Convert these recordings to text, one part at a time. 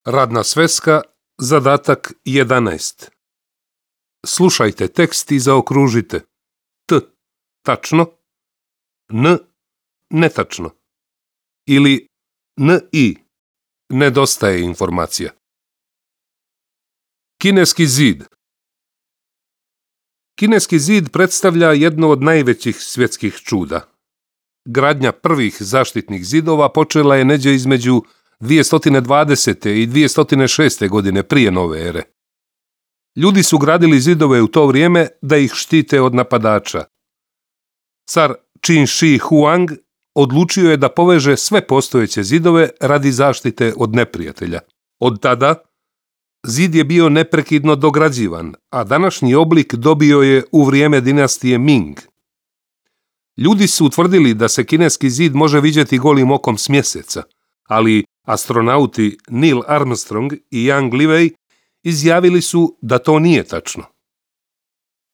Radna sveska, zadatak 11. Slušajte tekst i zaokružite T tačno, N netačno ili NI nedostaje informacija. Kineski zid. Kineski zid predstavlja jedno od najvećih svjetskih čuda. Gradnja prvih zaštitnih zidova počela je neđe između 220. i 206. godine prije nove ere. Ljudi su gradili zidove u to vrijeme da ih štite od napadača. Car Qin Shi Huang odlučio je da poveže sve postojeće zidove radi zaštite od neprijatelja. Od tada zid je bio neprekidno dograđivan, a današnji oblik dobio je u vrijeme dinastije Ming. Ljudi su utvrdili da se kineski zid može vidjeti golim okom s mjeseca, ali astronauti Neil Armstrong i Yang Liwei izjavili su da to nije tačno.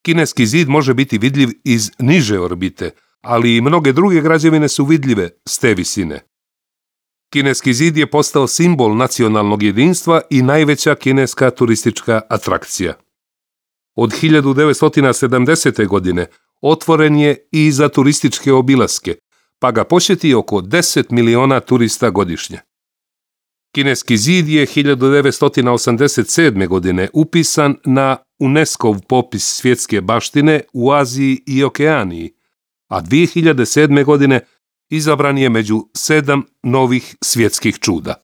Kineski zid može biti vidljiv iz niže orbite, ali i mnoge druge građevine su vidljive s te visine. Kineski zid je postao simbol nacionalnog jedinstva i najveća kineska turistička atrakcija. Od 1970. godine otvoren je i za turističke obilaske, pa ga posjeti oko 10 miliona turista godišnje. Kineski zid je 1987. godine upisan na UNESCO-v popis svjetske baštine u Aziji i Okeaniji, a 2007. godine izabran je među 7 novih svjetskih čuda.